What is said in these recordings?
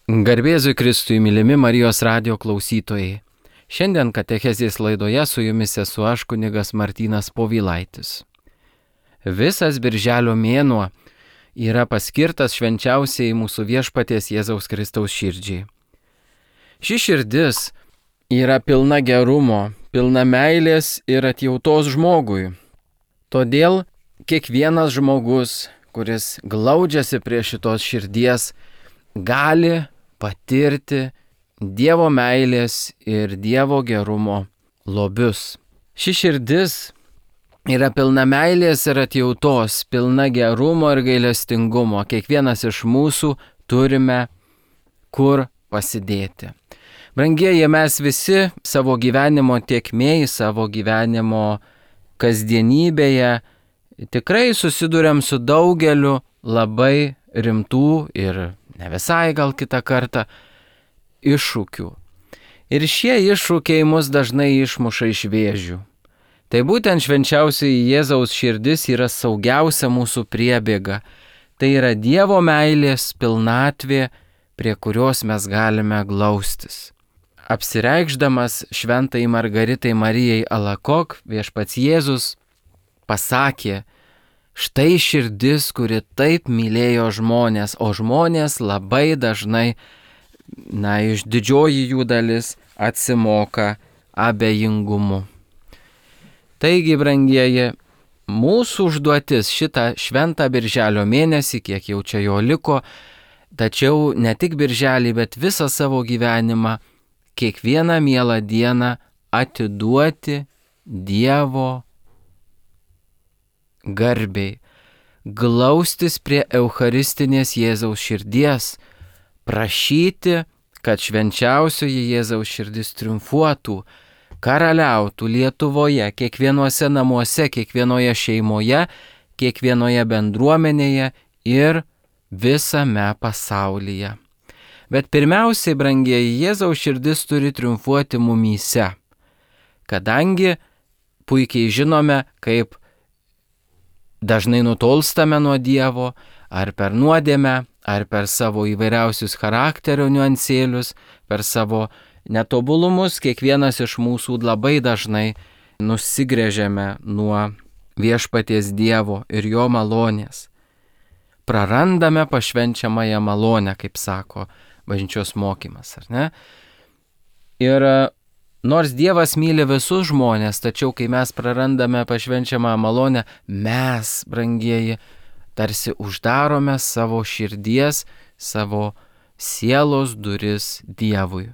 Garbėzui Kristui, mylimi Marijos radijo klausytojai. Šiandien katechezės laidoje su jumis esu aš, kunigas Martynas Povilaitis. Visas birželio mėnuo yra paskirtas švenčiausiai mūsų viešpaties Jėzaus Kristaus širdžiai. Ši širdis yra pilna gerumo, pilna meilės ir atjautos žmogui. Todėl kiekvienas žmogus, kuris glaudžiasi prie šitos širdies, gali patirti Dievo meilės ir Dievo gerumo lobius. Ši širdis yra pilna meilės ir atjautos, pilna gerumo ir gailestingumo. Kiekvienas iš mūsų turime kur pasidėti. Brangieji, mes visi savo gyvenimo tėkmėj, savo gyvenimo kasdienybėje tikrai susiduriam su daugeliu labai rimtų ir ne visai gal kitą kartą iššūkių. Ir šie iššūkiai mus dažnai išmuša iš vėžių. Tai būtent švenčiausioji Jėzaus širdis yra saugiausia mūsų priebėga. Tai yra Dievo meilės pilnatvė, prie kurios mes galime glaustis. Apsireikšdamas šventai Margaritai Marijai Alakok, viešpats Jėzus pasakė: štai širdis, kuri taip mylėjo žmonės, o žmonės labai dažnai, iš didžioji jų dalis, atsimoka abejingumu. Taigi, brangieji, mūsų užduotis šitą šventą birželio mėnesį, kiek jau čia jo liko, tačiau ne tik birželį, bet visą savo gyvenimą, kiekvieną mielą dieną atiduoti Dievo garbei, glaustis prie eucharistinės Jėzaus širdies, prašyti, kad švenčiausioji Jėzaus širdis triumfuotų, karaliautų Lietuvoje, kiekvienuose namuose, kiekvienoje šeimoje, kiekvienoje bendruomenėje ir visame pasaulyje. Bet pirmiausiai, brangieji, Jėzaus širdis turi triumfuoti mumyse, kadangi puikiai žinome, kaip dažnai nutolstame nuo Dievo, ar per nuodėmę, ar per savo įvairiausius charakterio niuansėlius, per savo netobulumus, kiekvienas iš mūsų labai dažnai nusigręžiame nuo viešpaties Dievo ir jo malonės. Prarandame pašvenčiamąją malonę, kaip sako bažnyčios mokymas, ar ne? Ir nors Dievas myli visus žmonės, tačiau kai mes prarandame pašvenčiamą malonę, mes, brangieji, tarsi uždarome savo širdies, savo sielos duris Dievui.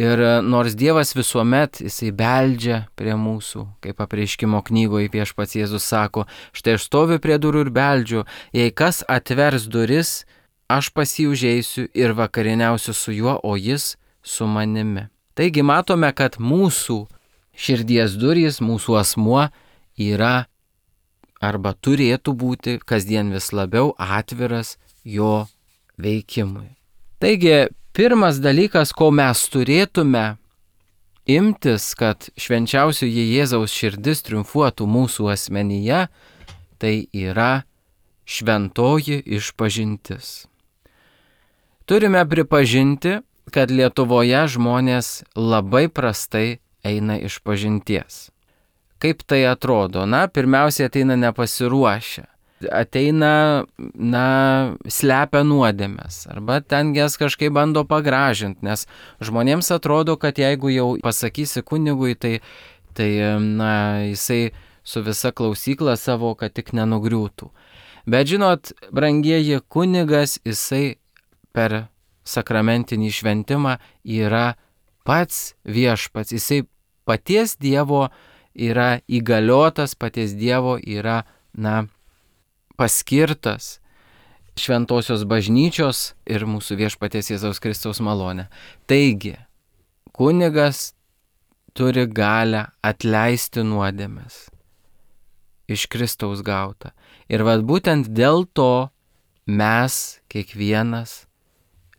Ir nors Dievas visuomet jisai beldžia prie mūsų, kaip apreiškimo knygoje viešpats Jėzus sako: štai aš stoviu prie durų ir beldžiu, jei kas atvers duris, aš pas jį užeisiu ir vakarieniausiu su juo, o jis su manimi. Taigi matome, kad mūsų širdies durys, mūsų asmuo yra arba turėtų būti kasdien vis labiau atviras jo veikimui. Taigi pirmas dalykas, ko mes turėtume imtis, kad švenčiausioji Jėzaus širdis triumfuotų mūsų asmenyje, tai yra šventoji išpažintis. Turime pripažinti, kad Lietuvoje žmonės labai prastai eina išpažinties. Kaip tai atrodo? Pirmiausia, ateina nepasiruošę. Ateina, slepia nuodėmes. Arba ten jas kažkaip bando pagražinti, nes žmonėms atrodo, kad jeigu jau pasakysi kunigui, tai jisai su visa klausykla savo, kad tik nenugriūtų. Bet žinot, brangieji, kunigas, jisai per sakramentinį šventimą yra pats viešpats, jisai paties Dievo yra įgaliotas, paties Dievo yra, paskirtas šventosios bažnyčios ir mūsų viešpaties Jėzaus Kristaus malonę. Taigi, kunigas turi galę atleisti nuodėmes iš Kristaus gautą. Ir būtent dėl to mes kiekvienas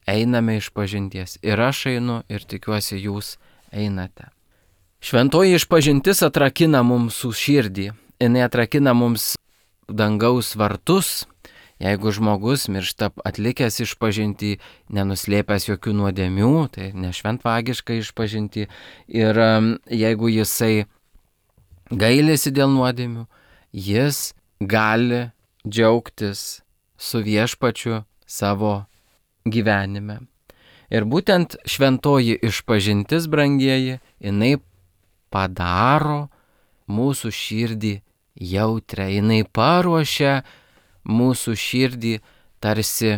einame išpažinties. Ir aš einu, ir tikiuosi jūs einate. Šventoji išpažintis atrakina mums širdį. Jinai atrakina mums dangaus vartus. Jeigu žmogus miršta atlikęs išpažintį, nenuslėpęs jokių nuodėmių, tai nešventvagiška išpažintį, ir jeigu jisai gailisi dėl nuodėmių, jis gali džiaugtis su viešpačiu savo gyvenime. Ir būtent šventoji išpažintis, brangieji, jinai padaro mūsų širdį jautrę, jinai paruošia mūsų širdį tarsi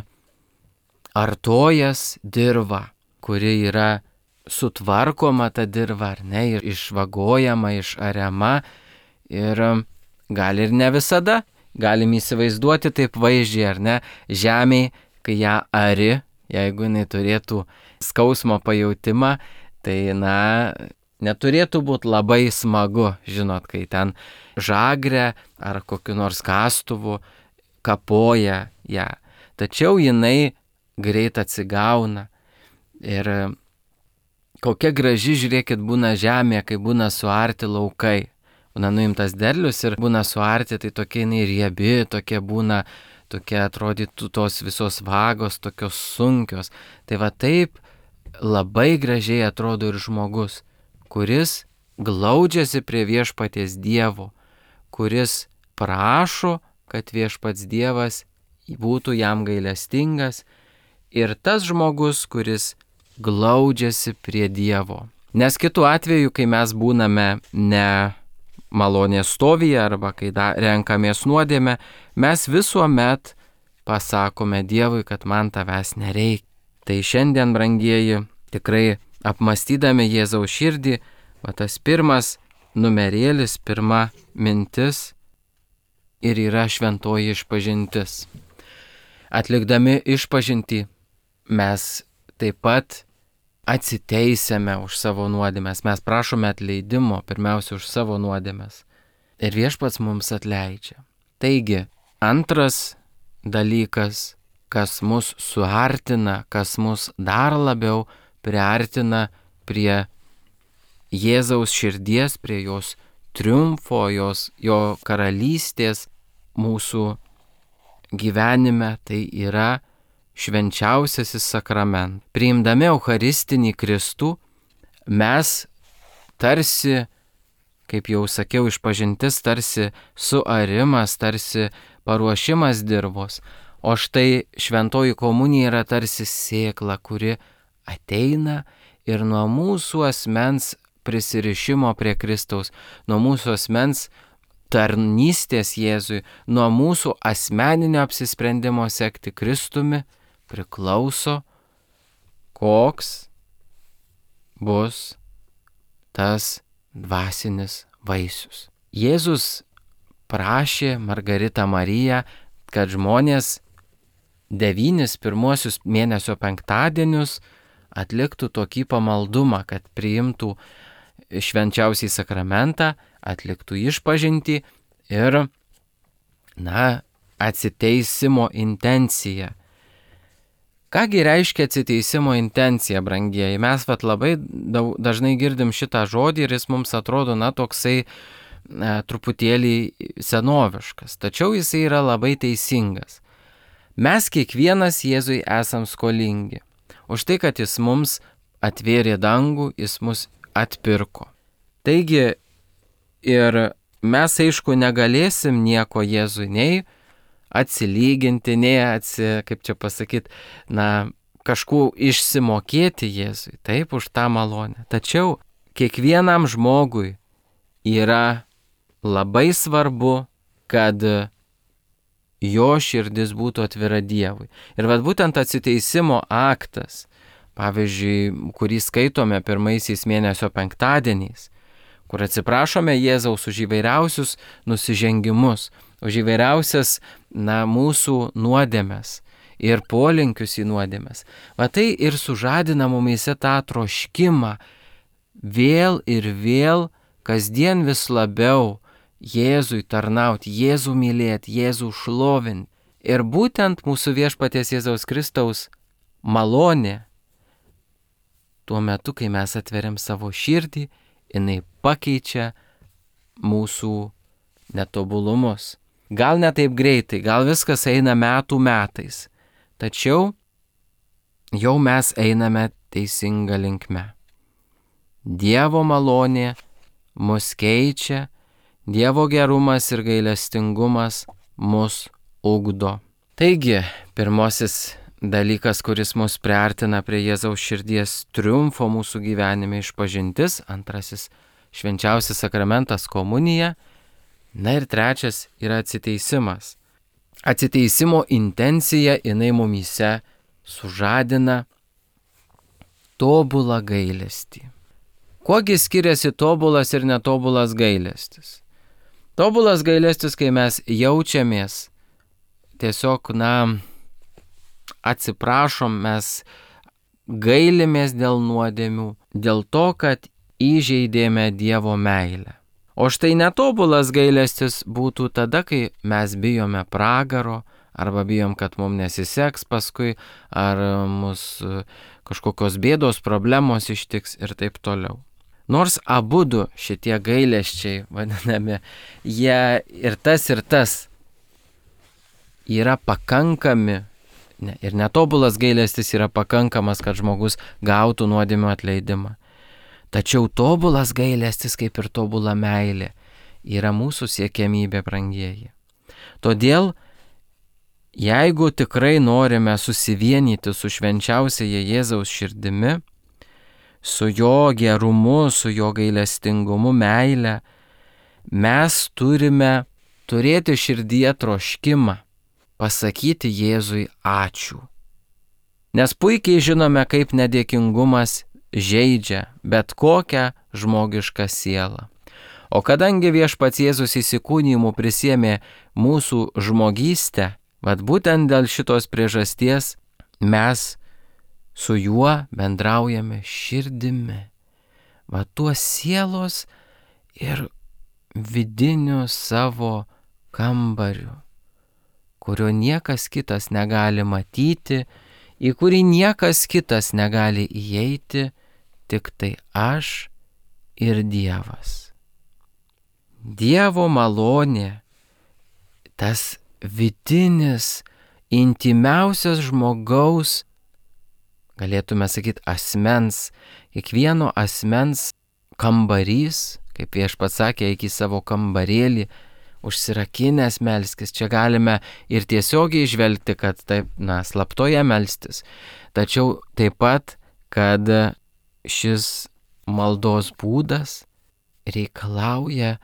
artojas dirva, kuri yra sutvarkoma ta dirva, ar ne, ir išvagojama, išariama, ir gal ir ne visada, galim įsivaizduoti taip vaizdžiai, ar ne, žemėj, kai ją ari, jeigu jinai turėtų skausmo pajautimą, tai neturėtų būti labai smagu, žinot, kai ten žagrė ar kokiu nors kastuvu kapoja ją. Tačiau jinai greit atsigauna. Ir kokia graži, žiūrėkit, būna žemė, kai būna suarti laukai. Būna nuimtas derlius ir būna suarti, tai tokia jinai riebi, tokia būna, tokia atrodytų tos visos vagos, tokios sunkios. Tai va taip labai gražiai atrodo ir žmogus, kuris glaudžiasi prie viešpaties Dievo, kuris prašo, kad viešpats Dievas būtų jam gailestingas, ir tas žmogus, kuris glaudžiasi prie Dievo. Nes kitu atveju, kai mes būname ne malonės stovyje arba kai renkamės nuodėmę, mes visuomet pasakome Dievui, kad man tavęs nereikia. Tai šiandien, brangieji, tikrai apmastydami Jėzaus širdį, va tas pirmas numerėlis, pirma mintis ir yra šventoji išpažintis. Atlikdami išpažintį mes taip pat atsiteisėme už savo nuodėmes, mes prašome atleidimo pirmiausia už savo nuodėmes ir viešpats mums atleidžia. Taigi, antras dalykas, kas mus suartina, kas mus dar labiau priartina prie Jėzaus širdies, prie jos triumfo, jo karalystės mūsų gyvenime, tai yra švenčiausiasis sakramentas. Priimdami Eucharistinį Kristų, mes tarsi, kaip jau sakiau, išpažintis tarsi suarimas, tarsi paruošimas dirvos. O štai šventoji komunija yra tarsi sėkla, kuri ateina ir nuo mūsų asmens prisirišimo prie Kristaus, nuo mūsų asmens tarnystės Jėzui, nuo mūsų asmeninio apsisprendimo sekti Kristumi priklauso, koks bus tas dvasinis vaisius. Jėzus prašė Margaritą Mariją, kad žmonės 9 pirmuosius mėnesio penktadienius atliktų tokį pamaldumą, kad priimtų švenčiausiai sakramentą, atliktų išpažintį ir, atsiteisimo intenciją. Kągi reiškia atsiteisimo intencija, brangieji? Mes labai dažnai girdim šitą žodį ir jis mums atrodo, toksai truputėlį senoviškas, tačiau jisai yra labai teisingas. Mes kiekvienas Jėzui esam skolingi. Už tai, kad jis mums atvėrė dangų, jis mus atpirko. Taigi ir mes, aišku, negalėsim nieko Jėzui nei atsilyginti, nei kažkuo išsimokėti Jėzui, taip, už tą malonę. Tačiau kiekvienam žmogui yra labai svarbu, kad jo širdis būtų atvira Dievui. Ir būtent atsiteisimo aktas, pavyzdžiui, kurį skaitome pirmaisiais mėnesio penktadieniais, kur atsiprašome Jėzaus už įvairiausius nusižengimus, už įvairiausias mūsų nuodėmes ir polinkius į nuodėmes. Tai ir sužadina mumyse tą troškimą vėl ir vėl, kasdien vis labiau Jėzui tarnauti, Jėzų mylėti, Jėzų šlovinti. Ir būtent mūsų viešpaties Jėzaus Kristaus malonė, tuo metu, kai mes atveriam savo širdį, jinai pakeičia mūsų netobulumus. gal ne taip greitai, gal viskas eina metų metais, tačiau jau mes einame teisinga linkme. Dievo malonė mus keičia, Dievo gerumas ir gailestingumas mus ugdo. Taigi, pirmasis dalykas, kuris mus priartina prie Jėzaus širdies triumfo mūsų gyvenime, išpažintis, antrasis švenčiausias sakramentas komunija, na ir trečias yra atsiteisimas. Atsiteisimo intencija jinai mumyse sužadina tobulą gailestį. Kuogi skiriasi tobulas ir netobulas gailestis? Tobulas gailestis, kai mes jaučiamės tiesiog, atsiprašom, mes gailimės dėl nuodėmių, dėl to, kad įžeidėme Dievo meilę. O štai netobulas gailestis būtų tada, kai mes bijome pragaro, arba bijom, kad mums nesiseks paskui, ar mus kažkokios bėdos, problemos ištiks ir taip toliau. Nors abudu šitie gailesčiai, vadinami, jie ir tas yra pakankami, ir netobulas gailestis yra pakankamas, kad žmogus gautų nuodėmių atleidimą. Tačiau tobulas gailestis, kaip ir tobula meilė, yra mūsų siekiamybė, brangieji. Todėl, jeigu tikrai norime susivienyti su švenčiausiaja Jėzaus širdimi, su jo gerumu, su jo gailestingumu, meile, mes turime turėti širdyje troškimą pasakyti Jėzui ačiū. Nes puikiai žinome, kaip nedėkingumas žeidžia bet kokią žmogišką sielą. O kadangi viešpats Jėzus įsikūnijimu prisiėmė mūsų žmogystę, būtent dėl šitos priežasties mes su juo bendraujame širdimi. Tuo sielos ir vidiniu savo kambariu, kurio niekas kitas negali matyti, į kurį niekas kitas negali įeiti, tik tai aš ir Dievas. Dievo malonė, tas vidinis, intimiausias žmogaus, galėtume sakyti, asmens, kiekvieno asmens kambarys, kaip viešpats sakė, eik į savo kambarėlį, užsirakinęs melskis. Čia galime ir tiesiogiai žvelgti, kad taip, slaptoje melstis. Tačiau taip pat, kad šis maldos būdas reikalauja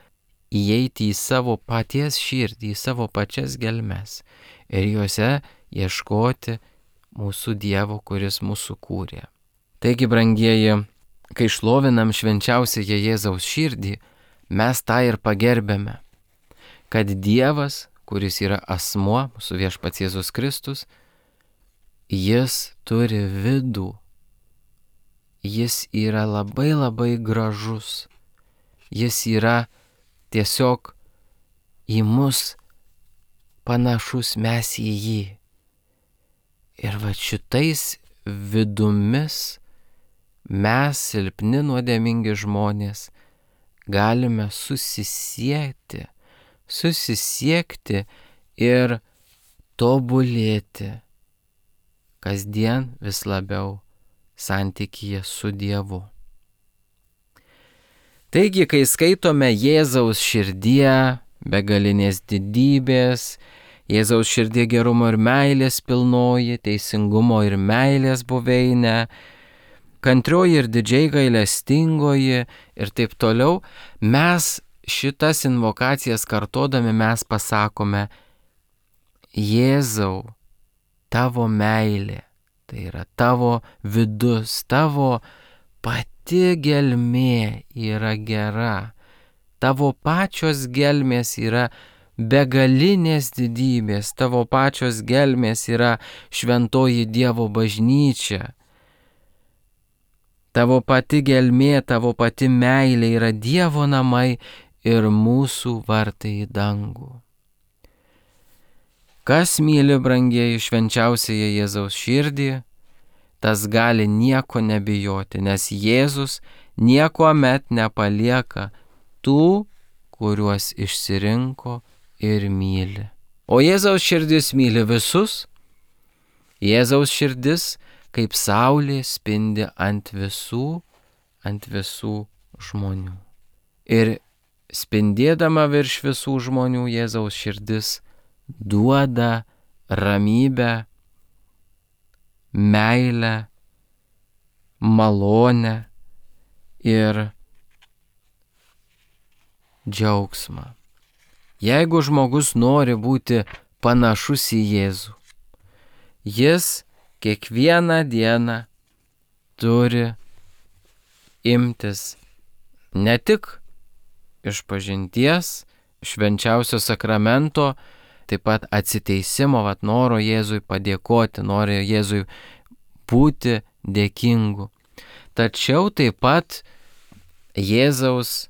įeiti į savo paties širdį, į savo pačias gelmes ir juose ieškoti mūsų Dievo, kuris mūsų kūrė. Taigi, brangieji, kai šlovinam švenčiausiąją Jėzaus širdį, mes tą ir pagerbėme, kad Dievas, kuris yra asmuo, mūsų viešpats Jėzus Kristus, jis turi vidų, jis yra labai labai gražus, jis yra tiesiog į mus panašus, mes į jį. Ir šitais vidumis mes, silpni nuodėmingi žmonės, galime susisiekti ir tobulėti kasdien vis labiau santykyje su Dievu. Taigi, kai skaitome Jėzaus širdie, begalinės didybės, Jėzaus širdie gerumo ir meilės pilnoji, teisingumo ir meilės buveinė, kantrioji ir didžiai gailestingoji ir taip toliau, mes šitas invokacijas kartodami mes pasakome: Jėzau, tavo meilė, tai yra tavo vidus, tavo pati gelmė yra gera, tavo pačios gelmės yra begalinės didybės, tavo pačios gelmės yra šventoji Dievo bažnyčia. Tavo pati gelmė, tavo pati meilė yra Dievo namai ir mūsų vartai į dangų. Kas myli, brangieji, švenčiausiąją Jėzaus širdį, tas gali nieko nebijoti, nes Jėzus niekuomet nepalieka tų, kuriuos išsirinko ir myli. O Jėzaus širdis myli visus. Jėzaus širdis kaip saulė spindi ant visų žmonių. Ir spindėdama virš visų žmonių Jėzaus širdis duoda ramybę, meilę, malonę ir džiaugsmą. Jeigu žmogus nori būti panašus į Jėzų, jis kiekvieną dieną turi imtis ne tik išpažinties, švenčiausio sakramento, taip pat atsiteisimo, noro Jėzui padėkoti, nori Jėzui būti dėkingu. Tačiau taip pat Jėzaus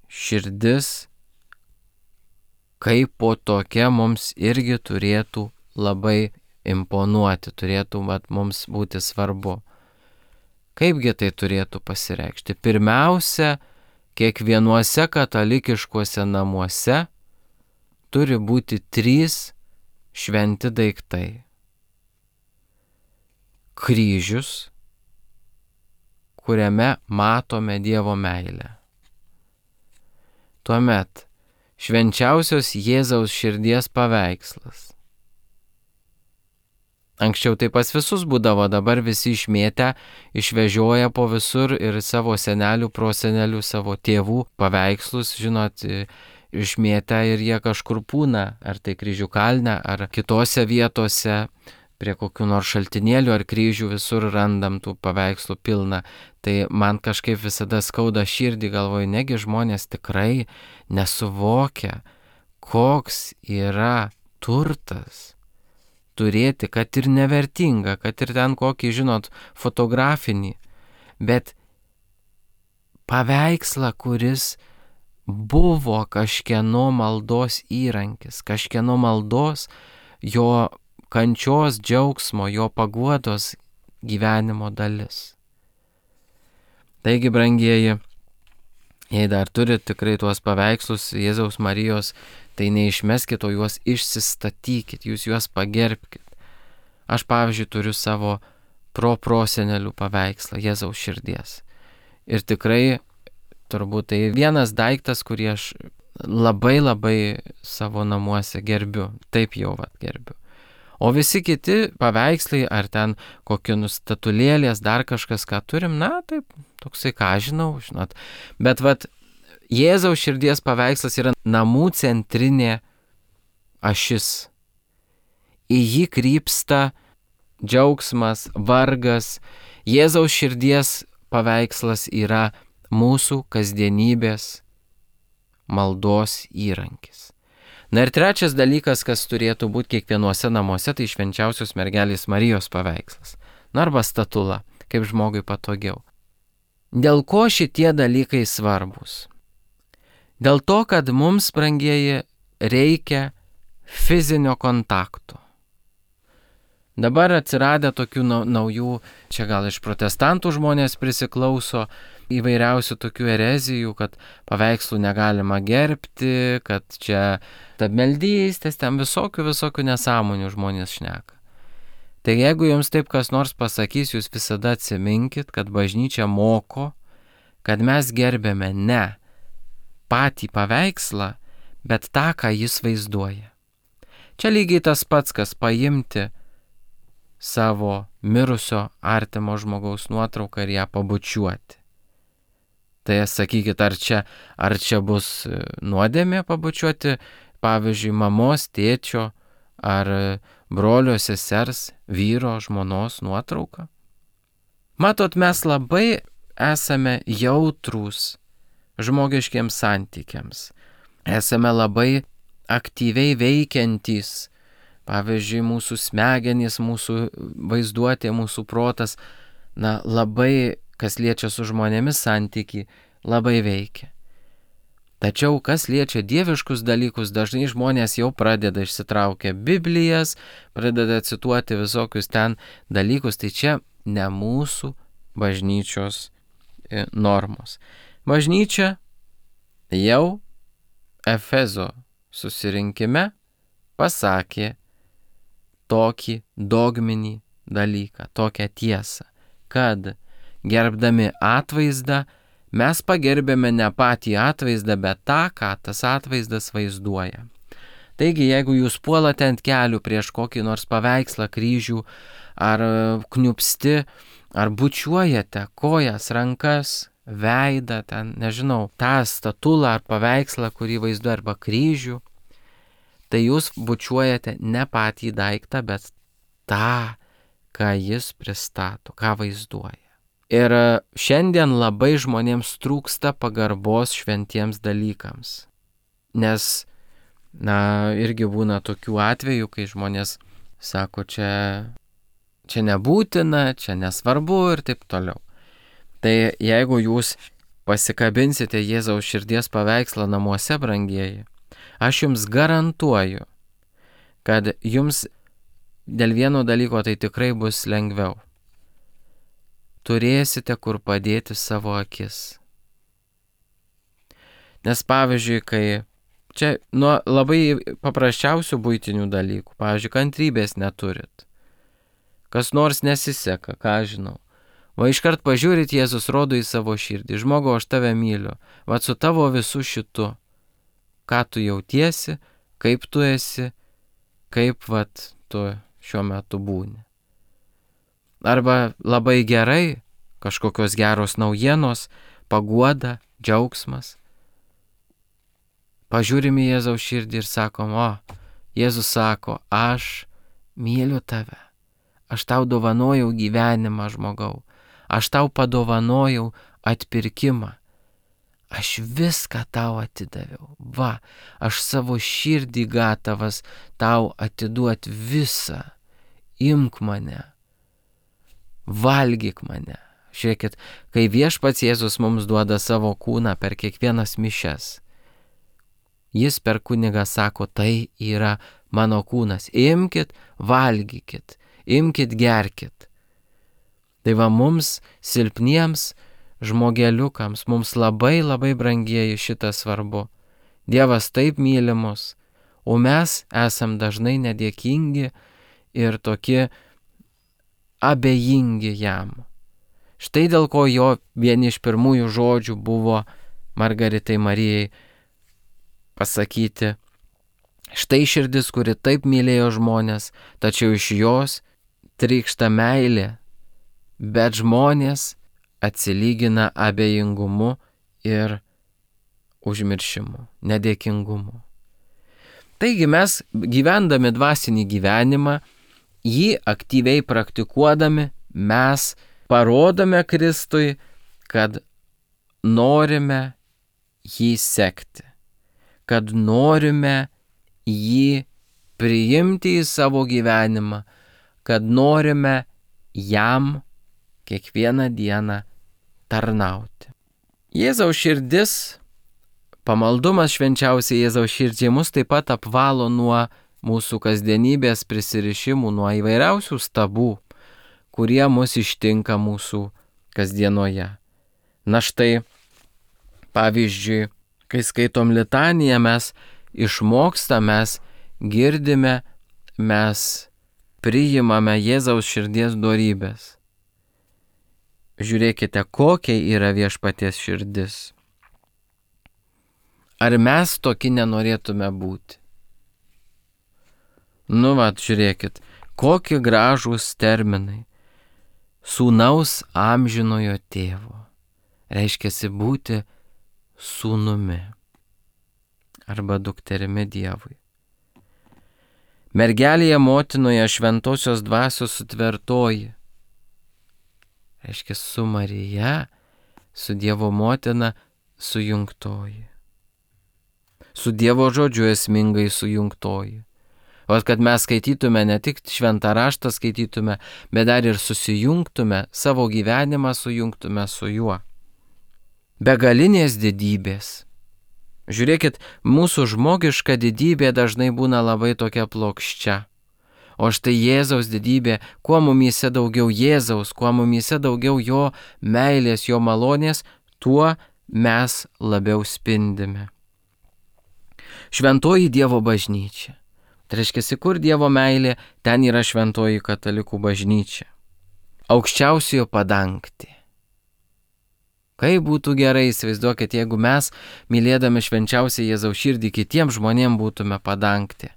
širdis kaip po tokia mums irgi turėtų labai imponuoti, turėtų mums būti svarbu. Kaipgi tai turėtų pasireikšti? Pirmiausia, kiekvienuose katalikiškuose namuose turi būti 3 šventi daiktai. Kryžius, kuriame matome Dievo meilę. Tuomet švenčiausios Jėzaus širdies paveikslas. Anksčiau tai pas visus būdavo, dabar visi išmėtę, išvežioja po visur ir savo senelių, prosenelių, savo tėvų paveikslus, žinot, išmėtę ir jie kažkur pūna, ar tai Kryžių kalne, ar kitose vietose, prie kokių nors šaltinėlių ar kryžių visur randam tų paveikslų pilna. Tai man kažkaip visada skauda širdį, galvoju, negi žmonės tikrai nesuvokia, koks yra turtas turėti, kad ir nevertinga, kad ir ten kokį, žinot, fotografinį, bet paveikslą, kuris buvo kažkieno maldos įrankis, kažkieno maldos, jo kančios džiaugsmo, jo paguodos gyvenimo dalis. Taigi, brangieji, jei dar turite tikrai tuos paveikslus Jėzaus Marijos, tai neišmeskite, o juos išsistatykit, jūs juos pagerbkite. Aš, pavyzdžiui, turiu savo prosenelių paveikslą Jėzaus širdies. Ir tikrai, turbūt tai vienas daiktas, kurį aš labai savo namuose gerbiu, taip jau gerbiu. O visi kiti paveikslai, ar ten kokie statulėlės, dar kažkas, ką turim, taip, toksai, ką žinau, žinot. Bet Jėzaus širdies paveikslas yra namų centrinė ašis. Į jį krypsta džiaugsmas, vargas. Jėzaus širdies paveikslas yra mūsų kasdienybės maldos įrankis. Na ir trečias dalykas, kas turėtų būti kiekvienuose namuose, tai švenčiausios mergelės Marijos paveikslas. Arba statula, kaip žmogui patogiau. Dėl ko šitie dalykai svarbus? Dėl to, kad mums, brangieji, reikia fizinio kontakto. Dabar atsiradę tokių naujų, čia gal iš protestantų žmonės prisiklauso, įvairiausių tokių erezijų, kad paveikslų negalima gerbti, kad čia tabmeldystės, ten visokių nesąmonių žmonės šneka. Tai jeigu jums taip kas nors pasakys, jūs visada atsiminkit, kad bažnyčia moko, kad mes gerbėme ne patį paveikslą, bet tą, ką jis vaizduoja. Čia lygiai tas pats, kas paimti savo mirusio artimo žmogaus nuotrauką ir ją pabučiuoti. Tai sakykit, ar čia bus nuodėmė pabučiuoti, pavyzdžiui, mamos, tėčio ar brolio, sesers, vyro, žmonos nuotrauką? Matot, mes labai esame jautrūs žmogiškiems santykiams. Esame labai aktyviai veikiantys. Pavyzdžiui, mūsų smegenys, mūsų vaizduotė, mūsų protas, labai, kas liečia su žmonėmis santyki, labai veikia. Tačiau, kas liečia dieviškus dalykus, dažnai žmonės jau pradeda išsitraukę Biblijas, pradeda cituoti visokius ten dalykus, tai čia ne mūsų bažnyčios normos. Bažnyčia jau Efezo susirinkime pasakė tokį dogminį dalyką, tokią tiesą, kad gerbdami atvaizdą mes pagerbėme ne patį atvaizdą, bet tą, ką tas atvaizdas vaizduoja. Taigi, jeigu jūs puolate ant kelių prieš kokį nors paveikslą, kryžių, ar kniupsti, ar bučiuojate kojas, rankas, veidą, ten, nežinau, tą statulą ar paveikslą, kurį vaizduoja, arba kryžių, tai jūs bučiuojate ne patį daiktą, bet tą, ką jis pristato, ką vaizduoja. Ir šiandien labai žmonėms trūksta pagarbos šventiems dalykams. Nes, irgi būna tokių atvejų, kai žmonės sako, čia nebūtina, čia nesvarbu ir taip toliau. Tai jeigu jūs pasikabinsite Jėzaus širdies paveikslą namuose, brangieji, aš jums garantuoju, kad jums dėl vieno dalyko tai tikrai bus lengviau. Turėsite kur padėti savo akis. Nes pavyzdžiui, kai čia nuo labai paprasčiausių buitinių dalykų, pavyzdžiui, kantrybės neturit, kas nors nesiseka, ką žinau, va iškart pažiūrit, Jėzus rodo į savo širdį, žmogau, aš tave myliu, va su tavo visu šitu, ką tu jautiesi, kaip tu esi, kaip tu šiuo metu būni. Arba labai gerai, kažkokios geros naujienos, paguoda, džiaugsmas. Pažiūrim į Jėzaus širdį ir sakom, Jėzus sako, aš myliu tave, aš tau dovanojau gyvenimą, žmogau, aš tau padovanojau atpirkimą, aš viską tau atidaviau, aš savo širdį gatavas tau atiduot visą, imk mane. Valgyk mane. Žiūrėkit, kai viešpats Jėzus mums duoda savo kūną per kiekvienas mišias, jis per kunigą sako, tai yra mano kūnas, imkit, valgykit, imkit, gerkit. Tai va mums, silpniems žmogeliukams, mums labai labai brangieji šitą svarbu. Dievas taip myli mus, o mes esam dažnai nedėkingi ir tokie abejingi jam. Štai dėl ko jo vieni iš pirmųjų žodžių buvo Margaritai Marijai pasakyti, štai širdis, kuri taip mylėjo žmonės, tačiau iš jos trykšta meilė, bet žmonės atsilygina abejingumu ir užmiršimu, nedėkingumu. Taigi mes, gyvendami dvasinį gyvenimą, jį aktyviai praktikuodami, mes parodome Kristui, kad norime jį sekti, kad norime jį priimti į savo gyvenimą, kad norime jam kiekvieną dieną tarnauti. Jėzaus širdis, pamaldumas švenčiausiai Jėzaus širdžiai mus taip pat apvalo nuo mūsų kasdienybės prisirišimų, nuo įvairiausių stabų, kurie mus ištinka mūsų kasdienoje. Na štai, pavyzdžiui, kai skaitom litaniją, mes išmokstame, mes girdime, mes priimame Jėzaus širdies dorybės. Žiūrėkite, kokia yra viešpaties širdis. Ar mes tokie nenorėtume būti? Žiūrėkit, kokie gražūs terminai. Sūnaus amžinojo tėvo. Reiškiasi būti sūnumi arba dukterimi Dievui. Mergelėje motinoje šventosios dvasios sutvertoji. Reiškia su Marija, su Dievo motina sujungtoji. Su Dievo žodžiu esmingai sujungtoji. O kad mes skaitytume, ne tik šventą raštą skaitytume, bet dar ir susijungtume, savo gyvenimą sujungtume su juo. Begalinės didybės. Žiūrėkit, mūsų žmogiška didybė dažnai būna labai tokia plokščia. O štai Jėzaus didybė, kuo mumyse daugiau Jėzaus, kuo mumyse daugiau jo meilės, jo malonės, tuo mes labiau spindime. Šventoji Dievo bažnyčia. Tai reiškia, kur Dievo meilė, ten yra šventoji katalikų bažnyčia. Aukščiausiojo padangtė. Kaip būtų gerai, įsivaizduokit, jeigu mes, mylėdami švenčiausią Jėzaus širdį, kitiems žmonėms būtume padangtė.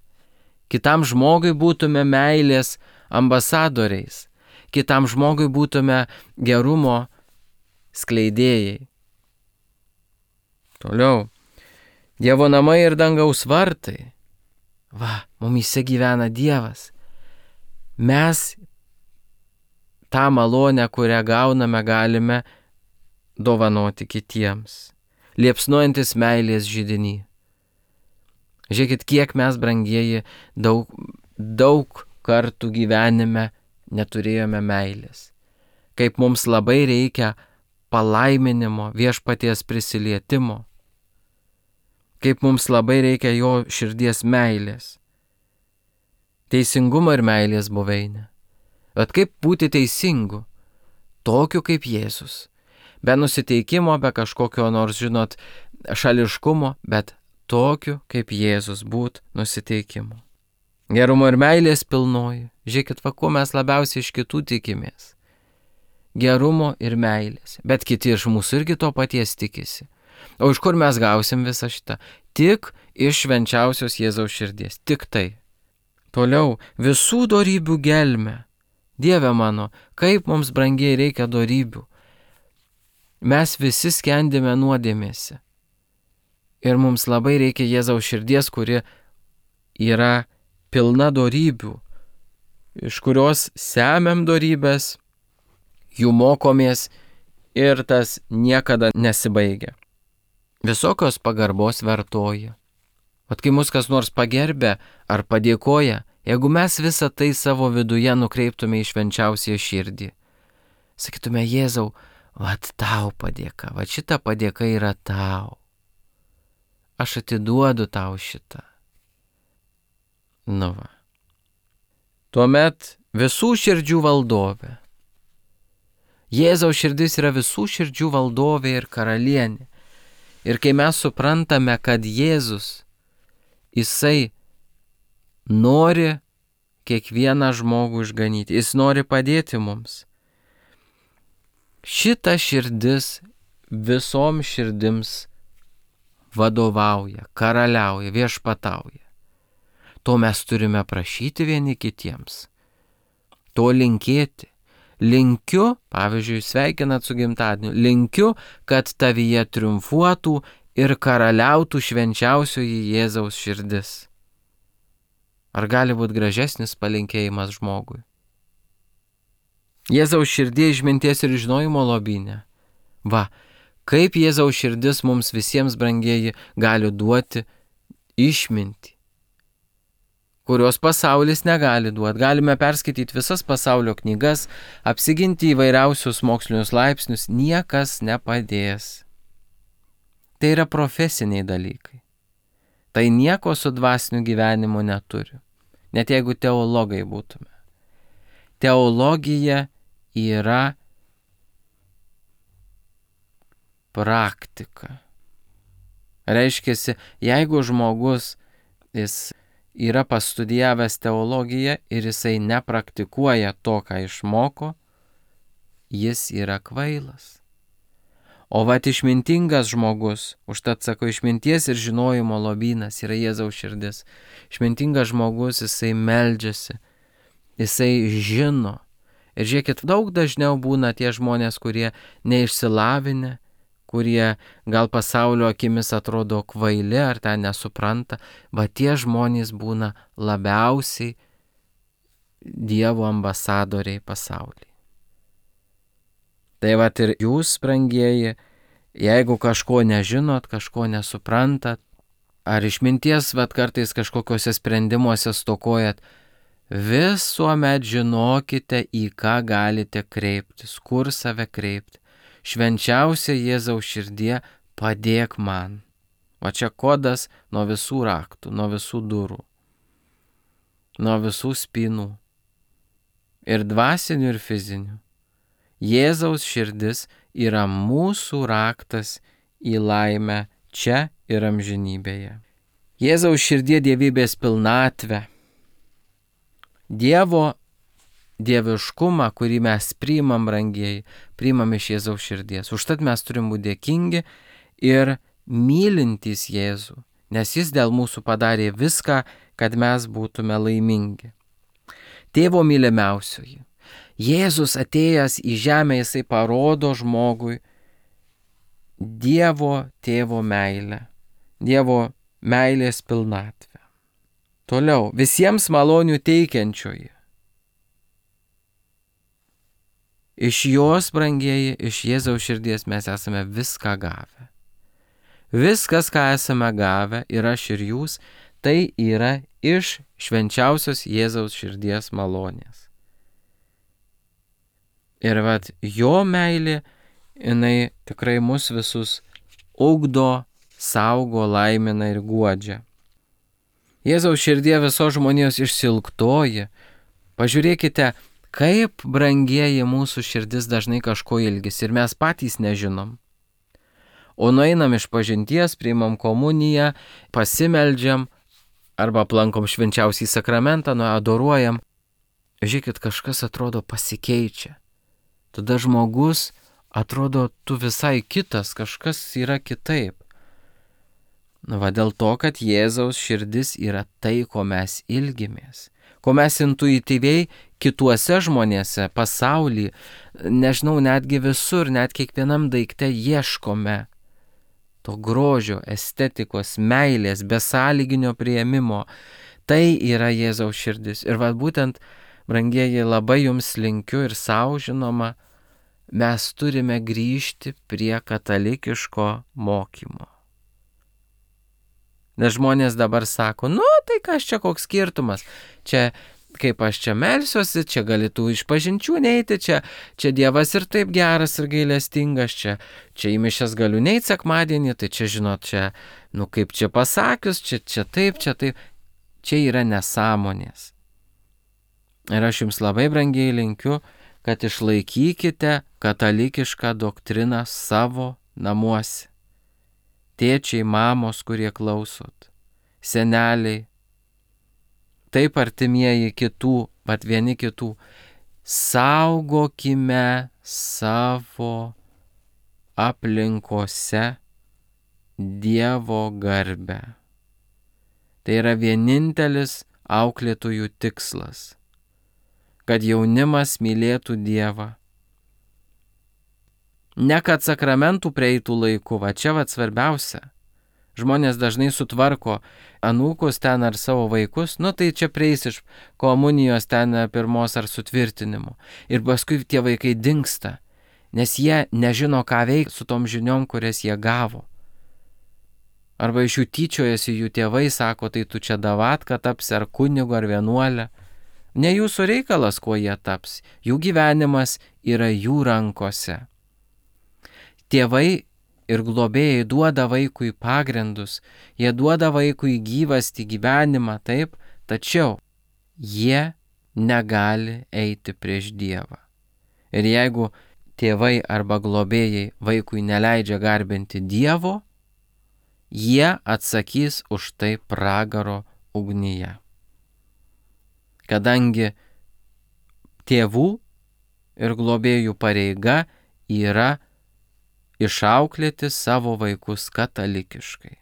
Kitam žmogui būtume meilės ambasadoriais. Kitam žmogui būtume gerumo skleidėjai. Toliau. Dievo namai ir dangaus vartai. Va, mumyse gyvena Dievas. Mes tą malonę, kurią gauname, galime dovanoti kitiems. Liepsnuojantis meilės židinį. Žiūrėkit, kiek mes, brangieji, daug kartų gyvenime neturėjome meilės. Kaip mums labai reikia palaiminimo, viešpaties prisilietimo. Kaip mums labai reikia jo širdies meilės. Teisingumo ir meilės buveinė. Bet kaip būti teisingu? Tokiu kaip Jėzus. Be nusiteikimo, be kažkokio nors, šališkumo, bet tokiu kaip Jėzus būt nusiteikimu. Gerumo ir meilės pilnoji. Žiūrėkit, ko mes labiausiai iš kitų tikimės. Gerumo ir meilės. Bet kiti iš mūsų irgi to paties tikisi. O iš kur mes gausim visą šitą? Tik iš švenčiausios Jėzaus širdies. Tik tai. Toliau, visų dorybių gelmė. Dieve mano, kaip mums brangiai reikia dorybių. Mes visi skendime nuodėmėse. Ir mums labai reikia Jėzaus širdies, kuri yra pilna dorybių, iš kurios semiam dorybės, jų mokomės ir tas niekada nesibaigia. Visokios pagarbos vertoja. Vat kai mus kas nors pagerbė ar padėkoja, jeigu mes visą tai savo viduje nukreiptume į švenčiausią širdį, sakytume, Jėzau, vat tau padėka, vat šita padėka yra tau. Aš atiduodu tau šitą. Nu va. Tuomet visų širdžių valdovė. Jėzaus širdis yra visų širdžių valdovė ir karalienė. Ir kai mes suprantame, kad Jėzus, jisai nori kiekvieną žmogų išganyti, jis nori padėti mums. Šita širdis visom širdims vadovauja, karaliauja, viešpatauja. To mes turime prašyti vieni kitiems. To linkėti. Linkiu, pavyzdžiui, sveikinat su gimtadieniu, linkiu, kad tavyje triumfuotų ir karaliautų švenčiausioji Jėzaus širdis. Ar gali būti gražesnis palinkėjimas žmogui? Jėzaus širdie išminties ir žinojimo lobyne. Va, kaip Jėzaus širdis mums visiems, brangieji, gali duoti išmintį, kurios pasaulis negali duoti. Galime perskaityti visas pasaulio knygas, apsiginti įvairiausius mokslinius laipsnius, niekas nepadės. Tai yra profesiniai dalykai. Tai nieko su dvasiniu gyvenimu neturi. Net jeigu teologai būtume. Teologija yra praktika. Reiškiasi, jeigu žmogus jis yra pastudijavęs teologiją ir jisai nepraktikuoja to, ką išmoko, jis yra kvailas. O vat išmintingas žmogus, užtat sako, išminties ir žinojimo lobynas yra Jėzaus širdis. Išmintingas žmogus, jisai meldžiasi, jisai žino. Ir žiūrėkit, daug dažniau būna tie žmonės, kurie neišsilavinę, kurie gal pasaulio akimis atrodo kvaili ar ten nesupranta, va tie žmonės būna labiausiai Dievo ambasadoriai pasaulyje. Tai va ir jūs, brangieji, jeigu kažko nežinot, kažko nesuprantat, ar išminties va kartais kažkokiuose sprendimuose stokojat, visuomet žinokite, į ką galite kreiptis, kur save kreipti. Švenčiausia Jėzaus širdie, padėk man. Va čia kodas nuo visų raktų, nuo visų durų, nuo visų spynų. Ir dvasinių, ir fizinių. Jėzaus širdis yra mūsų raktas į laimę čia ir amžinybėje. Jėzaus širdie dievybės pilnatvę, Dievo dieviškumą, kurį mes priimam, brangieji, priimam iš Jėzaus širdies. Užtat mes turim būti dėkingi ir mylintys Jėzų, nes Jis dėl mūsų padarė viską, kad mes būtume laimingi. Tėvo mylimiausioji, Jėzus atėjęs į žemę, Jisai parodo žmogui Dievo tėvo meilę, Dievo meilės pilnatvę. Toliau, visiems malonių teikiančioji. Iš jos, brangieji, iš Jėzaus širdies mes esame viską gavę. Viskas, ką esame gavę, ir aš ir jūs, tai yra iš švenčiausios Jėzaus širdies malonės. Ir jo meilė, jinai tikrai mus visus ugdo, saugo, laimina ir guodžia. Jėzaus širdie visos žmonijos išsilktoji. Pažiūrėkite, kaip brangieji mūsų širdis dažnai kažko ilgisi ir mes patys nežinom. O nueinam iš pažinties, priimam komuniją, pasimeldžiam arba aplankom švenčiausią sakramentą, adoruojam. Žiūrėkit, kažkas atrodo pasikeičia. Tada žmogus atrodo tu visai kitas, kažkas yra kitaip. Dėl to, kad Jėzaus širdis yra tai, ko mes ilgimės, ko mes intuityviai kituose žmonėse, pasaulyje, nežinau, netgi visur, net kiekvienam daikte ieškome to grožio, estetikos, meilės, besąlyginio priėmimo. Tai yra Jėzaus širdis. Ir būtent, brangieji, labai jums linkiu ir savo, žinoma, mes turime grįžti prie katalikiško mokymo. Nes žmonės dabar sako, tai kas čia koks skirtumas, čia kaip aš čia melsiuosi, čia galėtų iš pažinčių neiti, čia Dievas ir taip geras ir gailestingas, čia į mišias galiu neiti sekmadienį, tai čia žinot, kaip čia pasakius, čia taip, čia yra nesąmonės. Ir aš jums labai brangiai linkiu, kad išlaikykite katalikišką doktriną savo namuose. Tėčiai, mamos, kurie klausot, seneliai, taip artimieji kitų, vieni kitų, saugokime savo aplinkose Dievo garbę. Tai yra vienintelis auklėtojų tikslas, kad jaunimas mylėtų Dievą. Ne kad sakramentų prieitų laiku, čia svarbiausia. Žmonės dažnai sutvarko anūkus ten ar savo vaikus, tai čia prieis iš komunijos ten pirmos ar sutvirtinimo. Ir paskui tie vaikai dingsta, nes jie nežino, ką veikti su tom žiniom, kurias jie gavo. Arba iš jų tyčiojasi jų tėvai, sako, tai tu čia davatka tapsi ar kunigu ar vienuolė. Ne jūsų reikalas, kuo jie taps. Jų gyvenimas yra jų rankose. Tėvai ir globėjai duoda vaikui pagrindus, jie duoda vaikui gyvastį, gyvenimą, taip, tačiau jie negali eiti prieš Dievą. Ir jeigu tėvai arba globėjai vaikui neleidžia garbinti Dievo, jie atsakys už tai pragaro ugnyje. Kadangi tėvų ir globėjų pareiga yra išauklėti savo vaikus katalikiškai.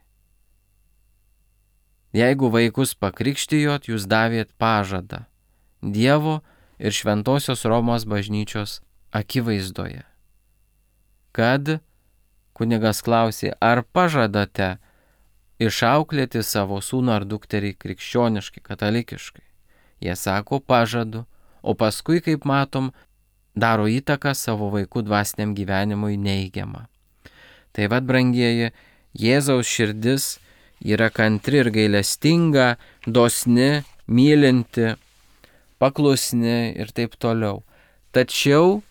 Jeigu vaikus pakrikštijot, jūs davėt pažadą Dievo ir Šventosios Romos bažnyčios akivaizdoje. Kad kunigas klausė, ar pažadate išauklėti savo sūnų ar dukterį krikščioniškai, katalikiškai. Jie sako, pažadu, o paskui, kaip matom, daro įtaką savo vaikų dvasiniam gyvenimui neigiamą. Tai brangieji, Jėzaus širdis yra kantri ir gailestinga, dosni, mylinti, paklusni ir taip toliau. Tačiau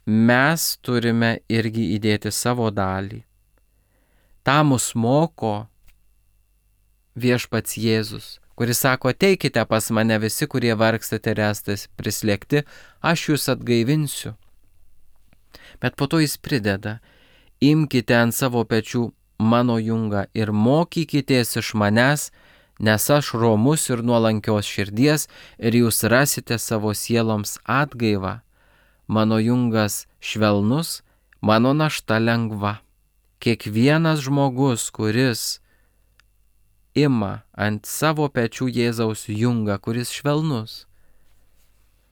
mes turime irgi įdėti savo dalį. Ta mus moko viešpats Jėzus, kuris sako, ateikite pas mane visi, kurie vargstate ir esate prislėgti, aš jūs atgaivinsiu. Bet po to jis prideda, imkite ant savo pečių mano jungą ir mokykitės iš manęs, nes aš romus ir nuolankios širdies ir jūs rasite savo sieloms atgaivą. Mano jungas švelnus, mano našta lengva. Kiekvienas žmogus, kuris ima ant savo pečių Jėzaus jungą, kuris švelnus.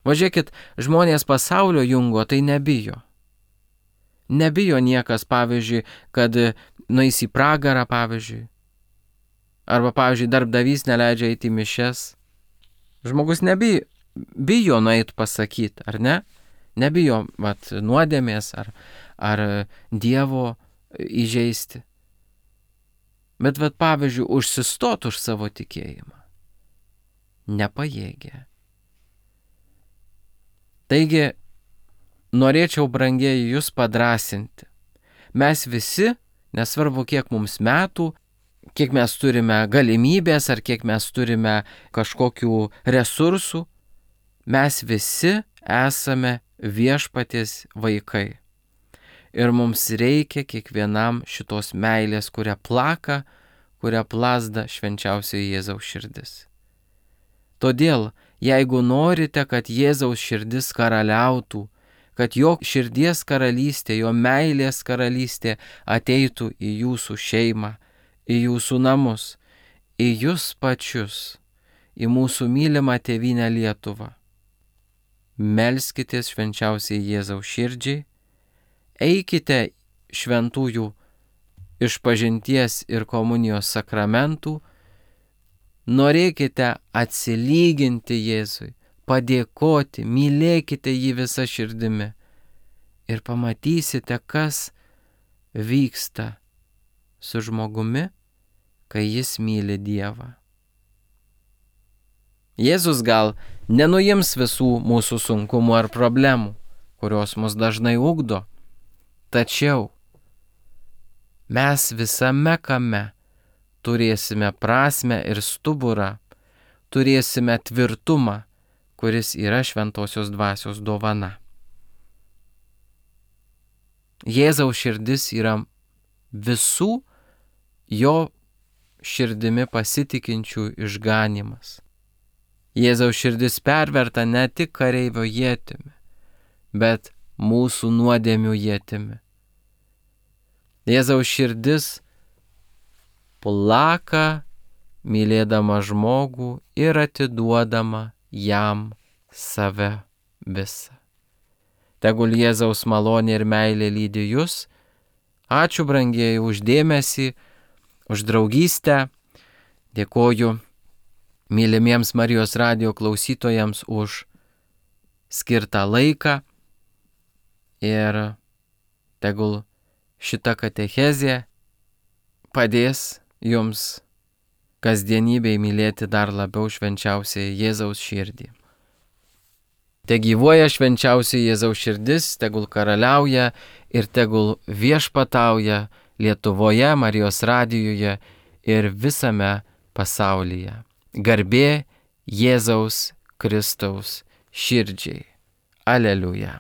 Važiuokit, žmonės pasaulio jungo tai nebijo. Nebijo niekas, pavyzdžiui, kad nueis į pragarą, pavyzdžiui. Arba, pavyzdžiui, darbdavys neleidžia eiti į mišias. Žmogus bijo nueit pasakyti, ar ne? Nebijo nuodėmės ar Dievo įžeisti. Bet, pavyzdžiui, užsistot už savo tikėjimą nepajėgia. Taigi, norėčiau, brangieji, jūs padrasinti. Mes visi, nesvarbu kiek mums metų, kiek mes turime galimybės ar kiek mes turime kažkokių resursų, mes visi esame viešpaties vaikai. Ir mums reikia kiekvienam šitos meilės, kurią plaka, kurią plazda švenčiausioji Jėzaus širdis. Todėl, jeigu norite, kad Jėzaus širdis karaliautų, kad jo širdies karalystė, jo meilės karalystė ateitų į jūsų šeimą, į jūsų namus, į jūs pačius, į mūsų mylimą tėvynę Lietuvą, melskitės švenčiausiai Jėzaus širdžiai, eikite šventųjų išpažinties ir komunijos sakramentų, norėkite atsilyginti Jėzui, padėkoti, mylėkite jį visą širdimi ir pamatysite, kas vyksta su žmogumi, kai jis myli Dievą. Jėzus gal nenuims visų mūsų sunkumų ar problemų, kurios mus dažnai ugdo, tačiau mes visame kame turėsime prasmę ir stuburą, turėsime tvirtumą, kuris yra šventosios dvasios dovana. Jėzaus širdis yra visų jo širdimi pasitikinčių išganymas. Jėzaus širdis perverta ne tik kareivio ietimi, bet mūsų nuodėmių ietimi. Jėzaus širdis plaka, mylėdama žmogų ir atiduodama jam save visą. Tegul Jėzaus malonė ir meilė lydi jus. Ačiū, brangieji, už dėmesį, už draugystę. Dėkoju mylimiems Marijos radijo klausytojams už skirtą laiką. Ir tegul šita katechezė padės jums kasdienybėj mylėti dar labiau švenčiausiąją Jėzaus širdį. Te gyvuoja švenčiausiai Jėzaus širdis, tegul karaliauja ir tegul viešpatauja Lietuvoje, Marijos radijuje ir visame pasaulyje. Garbė Jėzaus Kristaus širdžiai. Aleliuja.